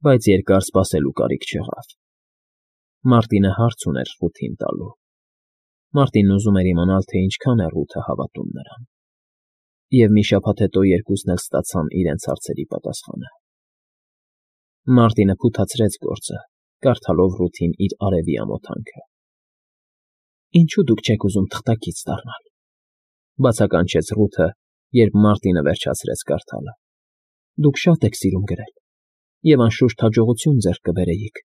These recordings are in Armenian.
Բայց երկար սպասելու կարիք չեղավ։ Մարտինը հարց ուներ Ռութին տալու։ Մարտինն ուզում էր իմանալ, թե ինչքան է Ռութը հավատում նրան։ Եվ մի շաբաթ հետո երկուսն էլ ստացան իրենց հարցերի պատասխանը։ Մարտինը փութացրեց գործը, կարդալով Ռութին իր արևի ամոթանքը։ Ինչու դուք չեք ուզում թղթակից դառնալ, բացականչեց Ռութը, երբ Մարտինը վերջացրեց կարդալը։ Դուք շատ եք սիրում գրել, և անշուշտ հաջողություն ձեռք կբերեիք,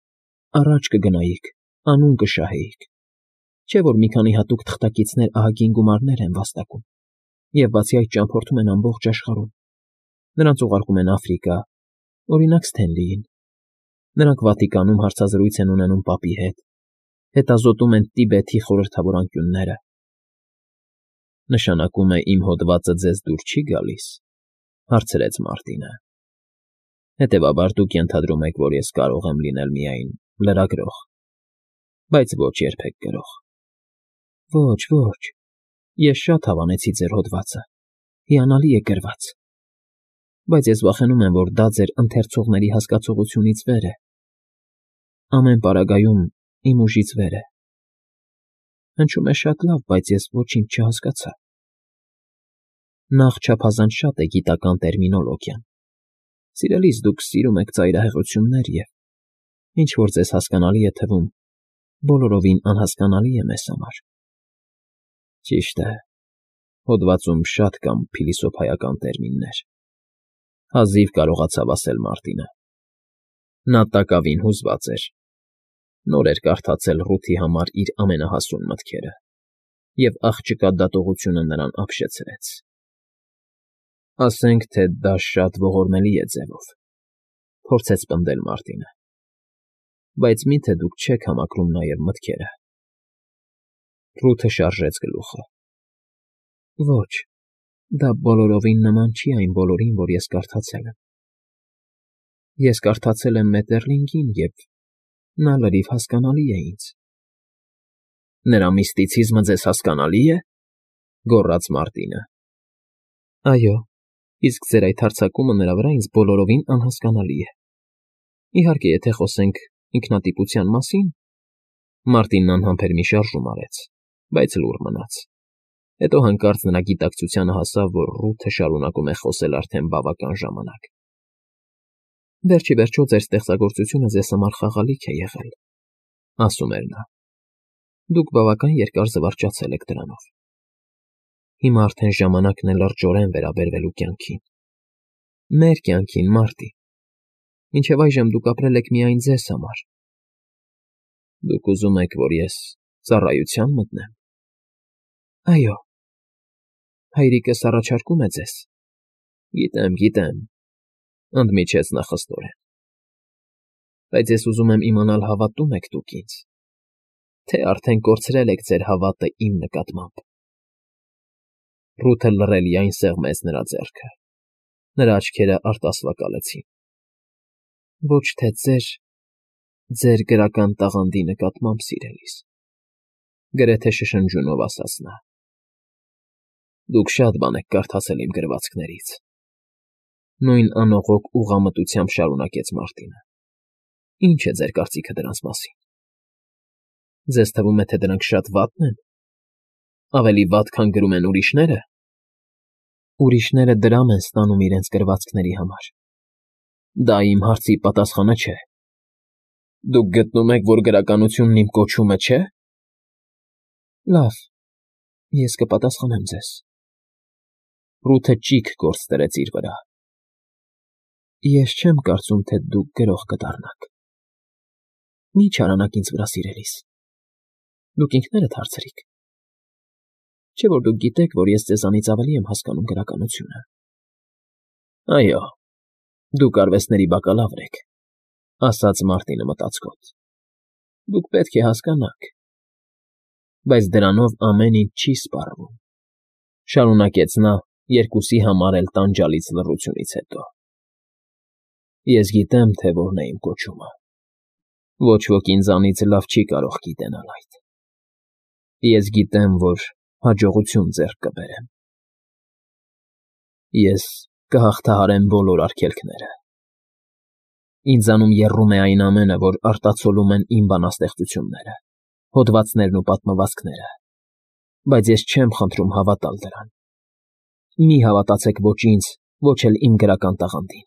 առաջ կգնայիք, անուն կշահեիք։ Չէ՞ որ մի քանի հատուկ թղթակիցներ ահագին գումարներ են վաստակում, և բացի այդ ճամփորդում են ամբողջ աշխարհում։ Նրանց ուղարկում են Աֆրիկա, օրինակ Սթենլիին։ Նրանք Վատիկանում հարցազրույց են ունենում պապի հետ, հետազոտում են Տիբեթի խորհրդավոր անկյունները։ Նշանակում է իմ հոդվածը ձեզ դուր չի գալիս, հարցրեց Մարտինը։ Հետևաբար դուք ենթադրում եք, որ ես կարող եմ լինել միայն լրագրող, բայց ոչ երբեք գրող։ Ոչ, ոչ, ես շատ հավանեցի ձեր հոդվածը, հիանալի է գրված, բայց ես վախենում եմ, որ դա ձեր ընթերցողների հասկացողությունից վեր է։ Ամեն պարագայում իմ ուժից վեր է։ Հնչում է շատ լավ, բայց ես ոչինչ չհասկացա։ Նախ չափազանց շատ է գիտական տերմինոլոգիան։ Սիրելիս, դուք սիրում եք ծայրահեղություններ և, ինչ որ ձեզ հասկանալի է թվում, բոլորովին անհասկանալի է մեզ համար։ Ճիշտ է, հոդվածում շատ կան փիլիսոփայական տերմիններ, հազիվ կարողացավ ասել Մարտինը։ Նա տակավին հուզված էր։ Նոր էր կարդացել Ռութի համար իր ամենահասուն մտքերը, և աղջկա դատողությունը նրան ապշեցրեց։ Ասենք թե դա շատ ողորմելի է ձևով, փորձեց պնդել Մարտինը, բայց մի՞թե դուք չեք համակրում նաև մտքերը։ Ռութը շարժեց գլուխը։ Ոչ, դա բոլորովին նման չի այն բոլորին, որ ես կարդացել եմ։ Ես կարդացել եմ Մետերլինգին, և նա լրիվ հասկանալի է ինձ։ Նրա միստիցիզմը ձեզ հասկանալի է, գոռաց Մարտինը։ Այո, իսկ ձեր այդ հարձակումը նրա վրա ինձ բոլորովին անհասկանալի է։ Իհարկե, եթե խոսենք ինքնատիպության մասին, Մարտինն անհամբեր մի շարժում արեց, բայց լուռ մնաց։ Հետո հանկարծ նրա գիտակցությանը հասավ, որ Ռութը շարունակում է խոսել արդեն բավական ժամանակ։ Վերջ ի վերջո ձեր ստեղծագործությունը ձեզ համար խաղալիք է եղել, ասում էր նա։ Դուք բավական երկար զվարճացել եք դրանով։ Հիմա արդեն ժամանակն է լրջորեն վերաբերվելու կյանքին։ Մեր կյանքին, Մարտի։ Մինչև այժմ դուք ապրել եք միայն ձեզ համար։ Դուք ուզում եք, որ ես ծառայության մտնեմ։ Այո։ Հայրիկս առաջարկում է ձեզ։ Գիտեմ, ընդմիջեց նա խստորեն։ Բայց ես ուզում եմ իմանալ, հավատո՞ւմ եք դուք ինձ, թե արդեն կորցրել եք ձեր հավատը իմ նկատմամբ։ Ռութը լռելիայն սեղմեց նրա ձեռքը։ Նրա աչքերը արտասվակալեցին։ Ոչ թե ձեր գրական տաղանդի նկատմամբ, սիրելիս, գրեթե շշնջյունով ասաց նա։ Դուք շատ բան եք կարդացել իմ գրվածքներից։ Նույն անողոք ուղղամտությամբ շարունակեց Մարտինը։ Ինչ է ձեր կարծիքը դրանց մասին։ Ձեզ թվում է, թե դրանք շատ վատն են։ Ավելի վատ, քան գրում են ուրիշները։ Ուրիշները դրամ են ստանում իրենց գրվածքների համար։ Դա իմ հարցի պատասխանը չէ։ Դուք գտնում եք, որ գրականությունն իմ կոչումը չէ։ Լավ, ես կպատասխանեմ ձեզ։ Ռութը ճիգ գործ դրեց իր վրա։ Ես չեմ կարծում, թե դուք գրող կդառնաք։ Մի չարանաք ինձ վրա, սիրելիս։ Դուք ինքներդ հարցրիք։ Չէ՞ որ դուք գիտեք, որ ես ձեզանից ավելի եմ հասկանում գրականությունը։ Այո, դուք արվեստների բակալավր եք, ասաց Մարտինը մտածկոտ։ Դուք պետք է հասկանաք։ Բայց դրանով ամեն ինչ չի սպառվում, շարունակեց նա երկուսի համար էլ տանջալից լռությունից հետո։ Ես գիտեմ, թե որն է իմ կոչումը։ Ոչ ոք ինձանից լավ չի կարող գիտենալ այդ։ Ես գիտեմ, որ հաջողություն ձեռք կբերեմ։ Ես կհաղթահարեմ բոլոր արգելքները։ Ինձանում եռում է այն ամենը, որ արտացոլում են իմ բանաստեղծությունները, հոդվածներն ու պատմվածքները, բայց ես չեմ խնդրում հավատալ դրան։ Մի հավատացեք ոչ ինձ, ոչ էլ իմ գրական տաղանդին։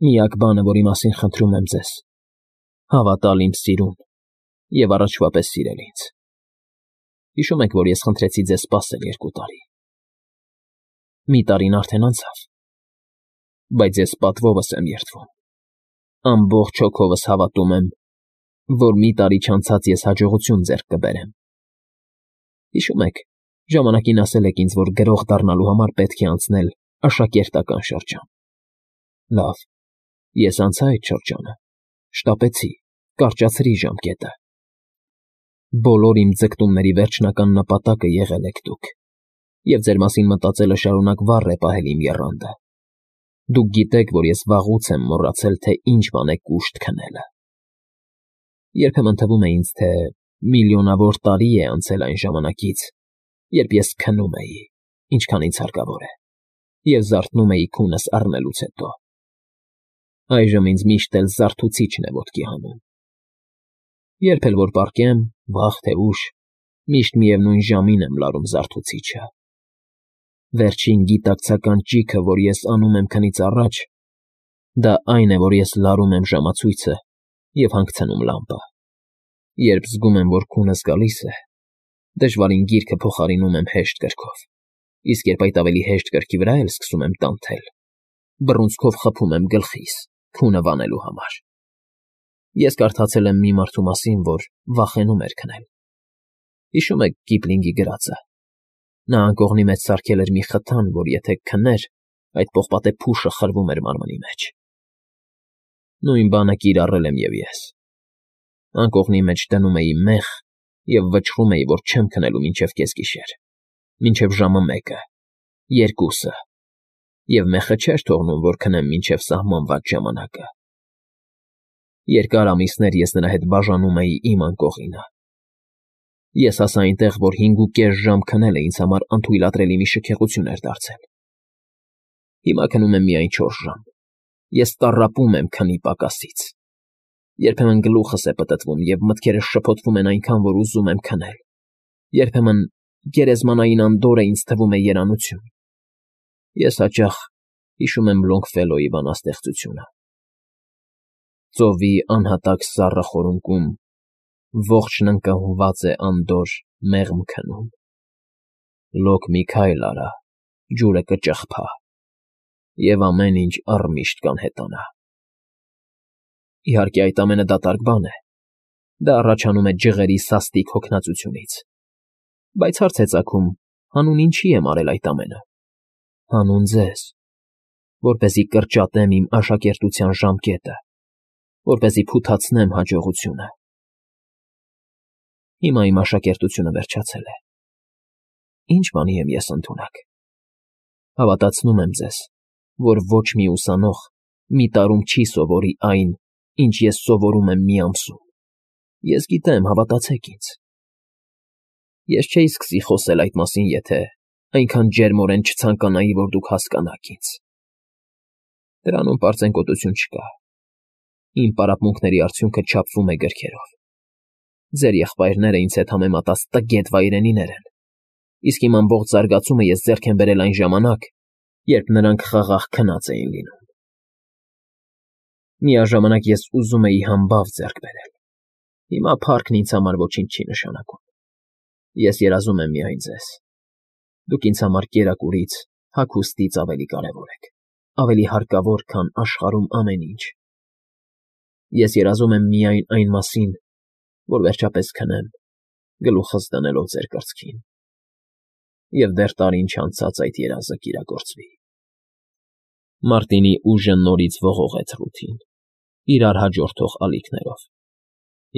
Միակ բանը, որի մասին խնդրում եմ ձեզ, հավատալ իմ սիրուն և առաջվա պես սիրել ինձ։ Հիշում եք, որ ես խնդրեցի ձեզ սպասել 2 տարի։ Մի տարին արդեն անցավ, բայց ես պատվովս եմ երդվում։ Ամբողջ հոգովս հավատում եմ, որ մի տարի չանցած ես հաջողություն ձեռք կբերեմ։ Հիշում եք, ժամանակին ասել եք ինձ, որ գրող դառնալու համար պետք է անցնել աշակերտական շրջան։ Լավ, ես անցա այդ շրջանը, շտապեցի, կարճացրի ժամկետը։ Բոլոր իմ ձգտումների վերջնական նպատակը եղել եք դուք, և ձեր մասին մտածելը շարունակ վառ է պահել իմ եռանդը։ Դուք գիտեք, որ ես վաղուց եմ մոռացել, թե ինչ բան է կուշտ քնելը։ Երբեմն թվում է ինձ, թե միլիոնավոր տարի է անցել այն ժամանակից, երբ ես քնում էի, ինչքան ինձ հարկավոր է, և զարթնում էի քունս առնելուց հետո։ Այժմ ինձ միշտ էլ զարթուցիչն է ոտքի հանում։ Երբ էլ որ պառկեմ, վաղ թե ուշ, միշտ միևնույն ժամին եմ լարում զարթուցիչը։ Վերջին գիտակցական ճիգը, որ ես անում եմ քնից առաջ, դա այն է, որ ես լարում եմ ժամացույցը և հանգցնում լամպը։ Երբ զգում եմ, որ քունս գալիս է, դժվարին գիրքը փոխարինում եմ հեշտ կրքով, իսկ երբ այդ ավելի հեշտ կրքի վրա էլ սկսում եմ տանթել, բռունցքով խփում եմ գլխիս, քունը վանելու համար։ Ես կարդացել եմ մի մարդու մասին, որ վախենում էր քնել։ Հիշում եք Կիպլինգի գրածը։ Նա անկողնի մեջ սարքել էր մի խթան, որ եթե քներ, այդ պողպատե փուշը խրվում էր մարմնի մեջ։ Նույն բանը կիրառել եմ և ես։ Անկողնի մեջ դնում էի մեխ և վճռում էի, որ չեմ քնելու մինչև կեսգիշեր, մինչև ժամը 1-ը, 2-ը, և մեխը չէր թողնում, որ քնեմ մինչև սահմանված ժամանակը։ Երկար ամիսներ ես նրա հետ բաժանում էի իմ անկողինը։ Ես հասա այնտեղ, որ 5.5 ժամ քնելը ինձ համար անթույլատրելի մի շքեղություն էր դարձել։ Հիմա քնում եմ միայն 4 ժամ։ Ես տառապում եմ քնի պակասից։ Երբեմն գլուխս է պտտվում, և մտքերս շփոթվում են այնքան, որ ուզում եմ քնել։ Երբեմն գերեզմանային անդորրը ինձ թվում է երանություն։ Ես հաճախ հիշում եմ Լոնգֆելոյի բանաստեղծությունը. Ծովի անհատակ սառը խորունկում ողջն ընկղմված է անդորր մեղմ քնում։ Լոկ մի քայլ արա, ջուրը կճխփա, և ամեն ինչ առմիշտ կանհետանա։ Իհարկե, այդ ամենը դատարկ բան է։ Դա առաջանում է ջղերի սաստիկ հոգնածությունից։ Բայց հարց է ծագում, հանուն ինչի եմ արել այդ ամենը։ Հանուն ձեզ, որպեսզի կրճատեմ իմ աշակերտության ժամկետը, որպեսզի փութացնեմ հաջողությունը։ Հիմա իմ աշակերտությունը վերջացել է։ Ինչ բանի եմ ես ընդունակ։ Հավատացնում եմ ձեզ, որ ոչ մի ուսանող մի տարում չի սովորի այն, ինչ ես սովորում եմ մի ամսում։ Ես գիտեմ, հավատացեք ինձ։ Ես չէի սկսի խոսել այդ մասին, եթե այնքան ջերմորեն չցանկանայի, որ դուք հասկանաք ինձ։ Դրանում պարծենկոտություն չկա։ Իմ պարապմունքների արդյունքը չափվում է գրքերով։ Ձեր եղբայրները ինձ հետ համեմատած տգետ վայրենիներ են, իսկ իմ ամբողջ զարգացումը ես ձեռք եմ բերել այն ժամանակ, երբ նրանք խաղաղ քնած էին լինում։ Միաժամանակ ես ուզում էի համբավ ձեռք բերել։ Հիմա փառքն ինձ համար ոչինչ չի նշանակում։ Ես երազում եմ միայն ձեզ։ Դուք ինձ համար կերակուրից, հագուստից ավելի կարևոր եք, ավելի հարկավոր, քան աշխարհում ամեն ինչ։ Ես երազում եմ միայն այն մասին, որ վերջապես քնեմ, գլուխս դնելով ձեր կրծքին, և դեռ տարին չանցած այդ երազը կիրագործվի։ Մարտինի ուժը նորից ողողեց Ռութին, իրար հաջորդող ալիքներով,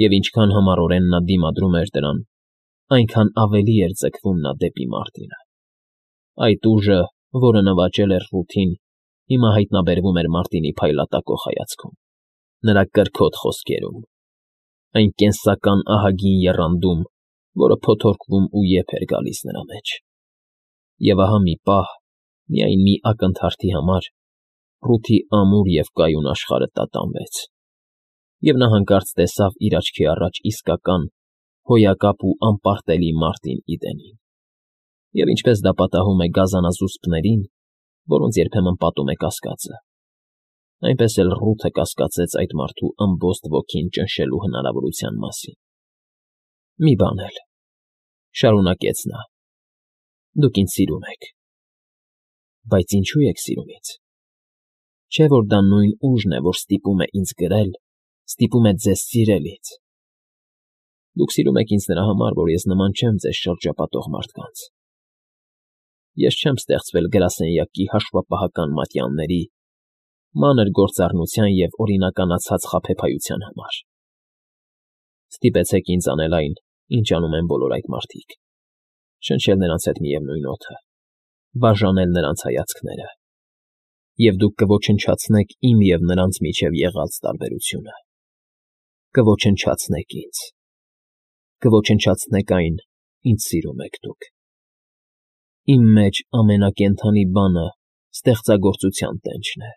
և ինչքան համառորեն նա դիմադրում էր դրան, այնքան ավելի էր ձգվում նա դեպի Մարտինը։ Այդ ուժը, որը նվաճել էր Ռութին, հիմա հայտնաբերվում էր Մարտինի փայլատակող հայացքում, նրա կրքոտ խոսքերում, այն կենսական ահագին եռանդում, որը փոթորկվում ու եփ էր գալիս նրա մեջ։ Եվ ահա մի պահ, միայն մի ակնթարթի համար, Ռութի ամուր և կայուն աշխարհը տատանվեց, և նա հանկարծ տեսավ իր աչքի առաջ իսկական, հոյակապ ու անպարտելի Մարտին Իդենին, և ինչպես դա պատահում է գազանազուսպներին, որոնց երբեմն պատում է կասկածը, այնպես էլ Ռութը կասկածեց այդ մարդու ըմբոստ ոգին ճնշելու հնարավորության մասին։ ֊ Մի բան էլ,֊ շարունակեց նա,֊ դուք ինձ սիրում եք, բայց ինչո՞ւ եք սիրում ինձ։ Չէ՞ որ դա նույն ուժն է, որ ստիպում է ինձ գրել, ստիպում է ձեզ սիրել ինձ։ Դուք սիրում եք ինձ նրա համար, որ ես նման չեմ ձեզ շրջապատող մարդկանց։ Ես չեմ ստեղծվել գրասենյակի հաշվապահական մատյանների, մանր գործառնության և օրինականացած խաբեբայության համար։ Ստիպեցեք ինձ անել այն, ինչ անում են բոլոր այդ մարդիկ, շնչել նրանց հետ միևնույն օդը, բաժանել նրանց հայացքները, և դուք կոչնչացնեք իմ և նրանց միջև եղած տարբերությունը, կոչնչացնեք ինձ, կոչնչացնեք այն, ինչ սիրում եք դուք։ Իմ մեջ ամենակենդանի բանը ստեղծագործության տենչն է։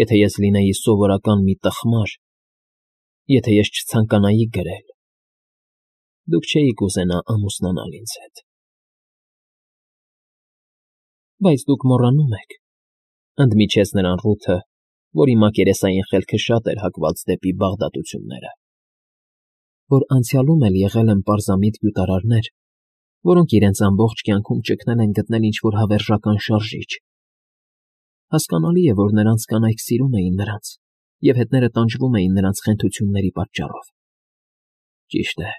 Եթե ես լինեի սովորական մի տխմար, եթե ես չցանկանայի գրել, դուք չէիք ուզենա ամուսնանալ ինձ հետ։ ֊ Բայց դուք մոռանում եք,֊ ընդմիջեց նրան Ռութը, որի մակերեսային խելքը շատ էր հակված դեպի բաղդատությունները,֊ որ անցյալում էլ եղել են պարզամիտ գյուտարարներ, որոնք իրենց ամբողջ կյանքում ճգնել են գտնել ինչ֊որ հավերժական շարժիչ։ Հասկանալի է, որ նրանց կանայք սիրում էին նրանց, և հետները տանջվում էին նրանց խենթությունների պատճառով։ ֊ Ճիշտ է,֊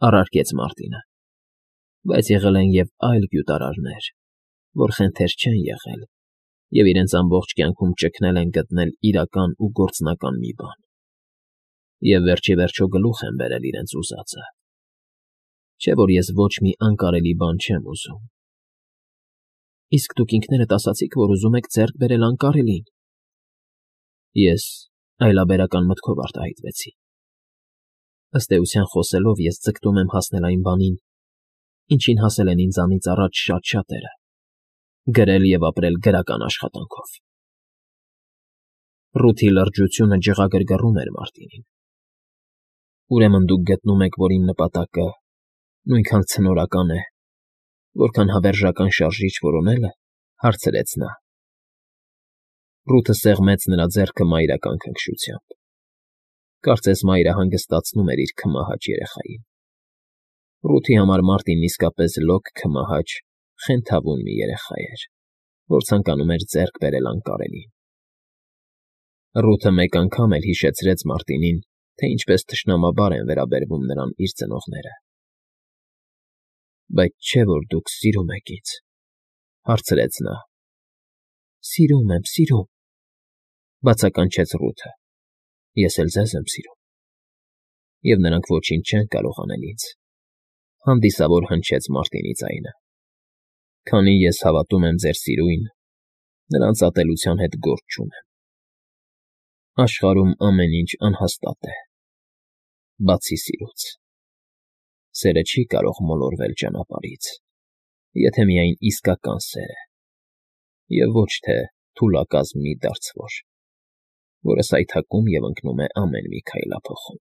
առարկեց Մարտինը,֊ բայց եղել են և այլ գյուտարարներ, որ խենթեր չեն եղել և իրենց ամբողջ կյանքում ճգնել են գտնել իրական ու գործնական մի բան, և վերջ ի վերջո գլուխ են բերել իրենց ուզածը։ Չէ՞ որ ես ոչ մի անկարելի բան չեմ ուզում։ ֊ Իսկ դուք ինքներդ ասացիք, որ ուզում եք ձեռք բերել անկարելին։ Ես այլաբերական մտքով արտահայտվեցի։ Ըստ էության խոսելով ես ձգտում եմ հասնել այն բանին, ինչին հասել են ինձանից առաջ շատ շատերը՝ գրել և ապրել գրական աշխատանքով։ Ռութի լրջությունը ջղագրգռում էր Մարտինին։ Ուրեմն դուք գտնում եք, որ իմ նպատակը նույնքան ցնորական է, որքան հավերժական շարժիչ որոնելը,֊ հարցրեց նա։ Ռութը սեղմեց նրա ձեռքը մայրական քնքշությամբ։ Կարծես մայրը հանգստացնում էր իր քմահաճ երեխային։ Ռութի համար Մարտինն իսկապես լոկ քմահաճ, խենթավուն մի երեխա էր, որ ցանկանում էր ձեռք բերել անկարելին։ Ռութը մեկ անգամ էլ հիշեցրեց Մարտինին, թե ինչպես թշնամաբար են վերաբերվում նրան իր ծնողները։ ֊ Բայց չէ՞ որ դուք սիրում եք ինձ,֊ հարցրեց նա։ ֊ Սիրում եմ, սիրում,֊ բացականչեց Ռութը,֊ ես էլ ձեզ եմ սիրում։ Եվ նրանք ոչինչ չեն կարող անել ինձ,֊ հանդիսավոր հնչեց Մարտինի ձայնը։ Քանի ես հավատում եմ ձեր սիրույն, նրանց ատելության հետ գործ չունեմ։ Աշխարհում ամեն ինչ անհաստատ է, բացի սիրուց։ Սերը չի կարող մոլորվել ճանապարհից, եթե միայն իսկական սեր է, և ոչ թե թուլակազմ մի դարձվոր, որը սայթաքում և ընկնում է ամեն մի քայլափոխում։